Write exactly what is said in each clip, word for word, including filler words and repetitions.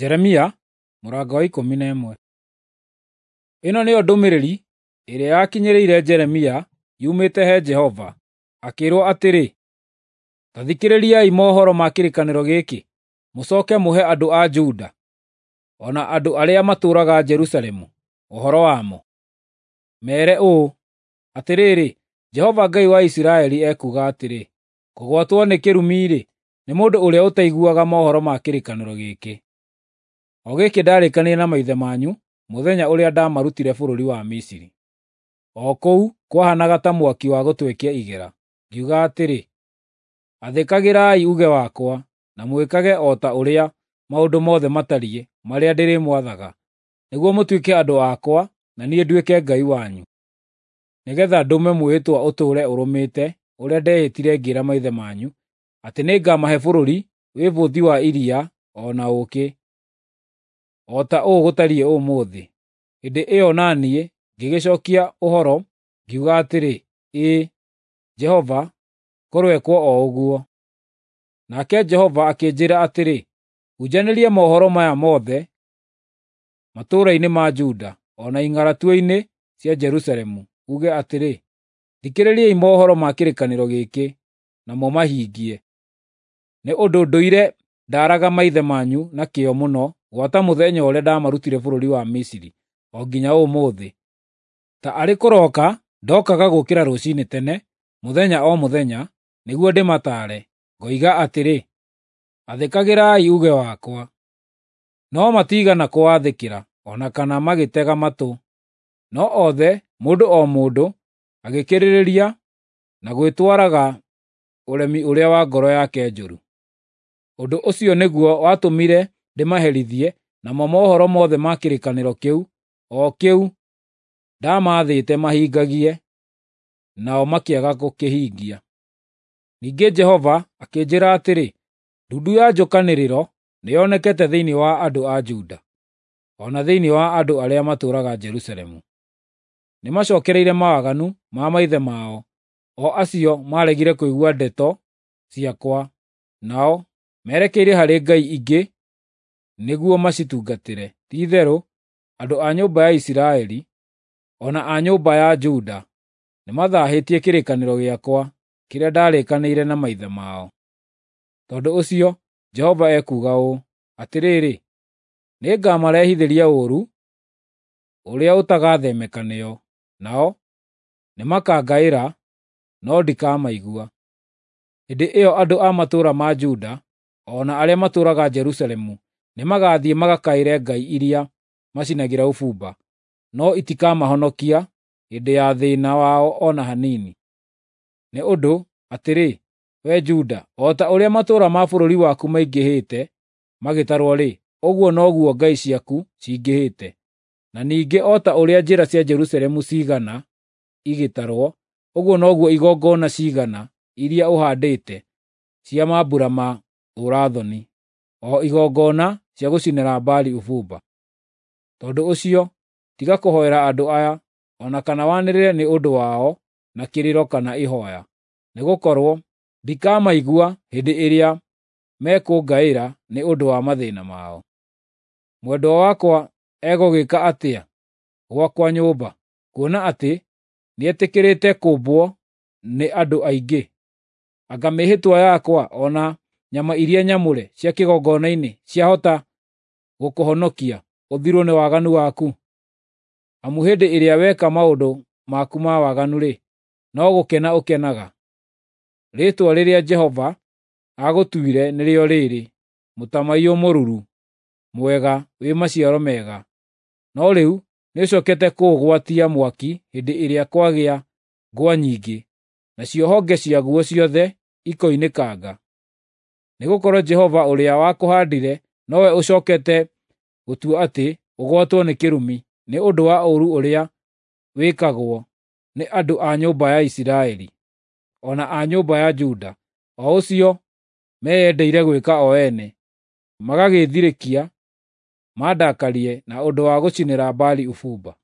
Jeremia mũrango wa ikũmi na ĩmwe. Ĩno nĩyo ndũmĩrĩri ĩrĩa yakinyĩrĩire Jeremia yumĩte he Jehova, akĩĩrwo atĩrĩ: Ta thikĩrĩriai mohoro ma kĩrĩkanĩro gĩkĩ, mũcooke mũhe andũ a Juda, o na andũ arĩa matũũraga Jerusalemu ũhoro wamo. Meere ũũ, ‘Atĩrĩrĩ, Jehova Ngai wa Isiraeli ekuuga atĩrĩ: Kũgwatwo nĩ kĩrumi-rĩ, nĩ mũndũ ũrĩa ũtaiguaga mohoro ma kĩrĩkanĩro gĩkĩ, o gĩkĩ ndaarĩkanĩire na maithe manyu mũthenya ũrĩa ndaamarutire bũrũri wa Misiri, o kũu kwahaanaga ta mwaki wa gũtwekia igera, ngiuga atĩrĩ, Athĩkagĩrai uuge wakwa, na mwĩkage o ta ũrĩa maũndũ mothe matariĩ marĩa ndĩrĩmwathaga, nĩguo mũtuĩke andũ akwa na niĩ nduĩke Ngai wanyu, nĩgeetha ndũme mwĩhĩtwa ũtũũre ũrũmĩte ũrĩa ndehĩtire ngĩĩra maithe manyu atĩ nĩngamahe bũrũri wĩ bũthi wa iria o na ũũkĩ, o ta ũũ gũtariĩ ũmũthĩ.’ Hĩndĩ ĩyo na niĩ ngĩgĩcookia ũhoro ngiuga atĩrĩ, ‘Ĩĩ, Jehova, kũroĩkwo o ũguo.’ Nake Jehova akĩnjĩĩra atĩrĩ, “Hunjanĩria mohoro maya mothe matũũra-inĩ ma Juda o na ing'aratua-inĩ cia Jerusalemu, uuge atĩrĩ, ‘Thikĩrĩriai mohoro ma kĩrĩkanĩro gĩkĩ, na mũmahingie. Nĩ ũndũ ndũire ndaaraga maithe manyu na kĩyo mũno gwata mũthenya ũrĩa ndaamarutire bũrũri wa Misiri o nginya ũmũthĩ. Ta arĩ kũroka ndookaga gũũkĩra rũciinĩ tene, mũthenya o mũthenya, nĩguo ndĩmataare, ngoiga atĩrĩ, “Athĩkagĩrai uuge wakwa.” No matiigana kũwathĩkĩra, o na kana magĩtega matũ, no othe, mũndũ o mũndũ, agĩkĩrĩrĩria na gwĩtwaraga ũremi ũrĩa wa ngoro yake njũru. Ũndũ ũcio nĩguo watũmire ndĩmaherithie namo mohoro mothe ma kĩrĩkanĩro kĩu, o kĩu ndaamaathĩte mahingagie, nao makĩaga gũkĩhingia. Ningĩ Jehova akĩnjĩĩra atĩrĩ, “Ndundu ya njũkanĩrĩro nĩyonekete thĩinĩ wa andũ a Juda, o na thĩinĩ wa andũ arĩa matũũraga Jerusalemu. Nĩmacookereire mawaganu ma maithe mao, o acio maaregire kũigua ndeto ciakwa, nao merekeire harĩ ngai ingĩ nĩguo macitungatĩre. Ti-itherũ andũ a nyũmba ya Isiraeli, o na a nyũmba ya Juda nĩmathaahĩtie kĩrĩkanĩro gĩakwa kĩrĩa ndaarĩkanĩire na maithe mao. Tondũ ũcio Jehova ekuuga ũũ: Atĩrĩrĩ, nĩngamarehithĩria ũũru ũrĩa ũtagathemeka nĩo, nao nĩmakangaĩra, no ndikamaigua. Hĩndĩ ĩyo andũ a matũũra ma Juda o na arĩa matũũraga Jerusalemu nĩmagathiĩ magakaĩre ngai iria macinagĩra ũbumba, no itikamahonokia hĩndĩ ya thĩĩna wao o na hanini. Nĩ ũndũ, atĩrĩ, wee Juda, o ta ũrĩa matũũra ma bũrũri waku maingĩhĩte magĩtarwo-rĩ, ũguo noguo ngai ciaku cingĩhĩte. Na ningĩ o ta ũrĩa njĩra cia Jerusalemu ciigana igĩtarwo, ũguo noguo igongona ciigana iria ũhaandĩte cia mambura ma ũũra-thoni, o igongona cia gũcinĩra Baali ũbumba. Tondũ ũcio, tiga kũhoera andũ aya, o na kana wanĩrĩre nĩ ũndũ wao na kĩrĩro kana ihooya, nĩgũkorwo ndikamaigua hĩndĩ ĩrĩa mekũngaĩra nĩ ũndũ wa mathĩĩna mao. Mwendwa wakwa egũgĩĩka atĩa gwakwa nyũmba, kuona atĩ nĩetĩkĩrĩte kũũmbwo nĩ andũ aingĩ? Anga mĩĩhĩtwa yakwa o na nyama iria nyamũre cia kĩgongona-inĩ ciahota gũkũhonokia ũthirwo nĩ waganu waku? Amu hĩndĩ ĩrĩa weka maũndũ maku ma waganu-rĩ, no gũkena ũkenaga. Rĩĩtwa rĩrĩa Jehova aagũtuire nĩrĩo rĩĩrĩ, Mũtamaiyũ mũruru, mwega wĩ maciaro mega. No rĩu nĩũcookete kũũgwatia mwaki hĩndĩ ĩrĩa kwagĩa ngwa nyingĩ, nacio honge ciaguo ciothe ikoinĩkanga. Nĩgũkorwo Jehova ũrĩa wakũhaandire nowe ũcookete gũtua atĩ ũgwatwo nĩ kĩrumi nĩ ũndũ wa ũũru ũrĩa wĩkagwo nĩ andũ a nyũmba ya Isiraeli, o na a nyũmba ya Juda, o ũcio meyendeire gwĩka o ene, magagĩĩthirĩkia mandakarie na ũndũ wa gũcinĩra Baali ũbumba.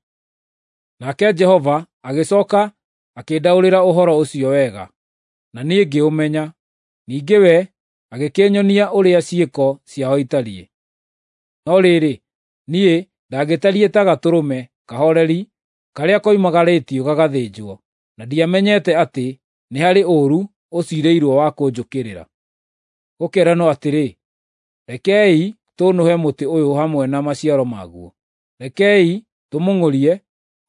Nake Jehova agĩcooka akĩndaũrĩra ũhoro ũcio wega, na niĩ ngĩũmenya. Ningĩ we agĩkĩnyonia ũrĩa ciĩko ciao itariĩ. No rĩrĩ, niĩ ndagĩtariĩ ta gatũrũme kahooreri karĩa koimagarĩtio gagathĩnjwo, na ndiamenyete atĩ nĩ harĩ ũũru ũciirĩirwo wa kũnjũkĩrĩra. Gũkeeranwo atĩrĩ, “Rekei tũũnũhe mũtĩ ũyũ hamwe na maciaro maguo; rekei tũmũng'ũrie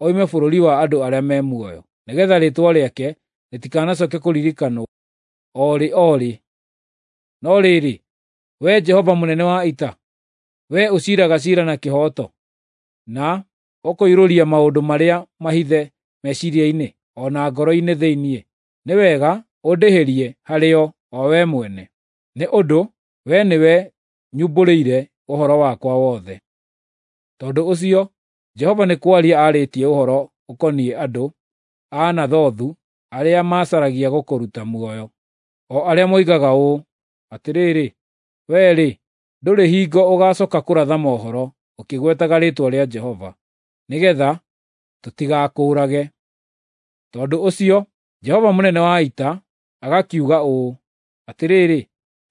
oime bũrũri wa andũ arĩa me muoyo, nĩgeetha rĩĩtwa rĩake rĩtikanacooke kũririkanwo o rĩ o rĩ.” No rĩrĩ, Wee Jehova mũnene wa ita, wee ũciiraga ciira na kĩhooto, na ũkoiruuria maũndũ marĩa mahithe meciiria-inĩ o na ngoro-inĩ thĩinĩ, nĩ wega ũndĩhĩrie harĩo o wee mwene, nĩ ũndũ wee nĩwe nyumbũrĩire ũhoro wakwa wothe. Tondũ ũcio Jehova nĩ kwaria aarĩtie ũhoro ũkoniĩ andũ a Anathothu arĩa macaragia gũkũruta muoyo, o arĩa moigaga ũũ, “Atĩrĩrĩ, wee-rĩ, ndũrĩ hingo ũgaacooka kũratha mohoro ũkĩgwetaga rĩĩtwa rĩa Jehova, nĩgeetha tũtigakũũrage.” Tondũ ũcio Jehova mũnene wa ita agakiuga ũũ, “Atĩrĩrĩ,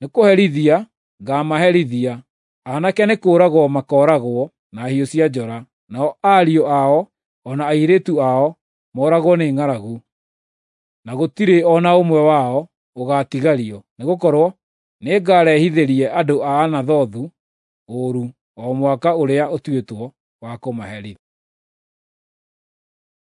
nĩkũherithia ngaamaherithia. Aanake nĩ kũũragwo makooragwo na hiũ cia njora, nao ariũ ao o na airĩtu ao mooragwo nĩ ng'aragu, na gũtirĩ o na ũmwe wao ũgaatigario, nĩgũkorwo nĩngarehithĩrie andũ a Anathothu ũũru o mwaka ũrĩa ũtuĩtwo wa kũmaherithia.”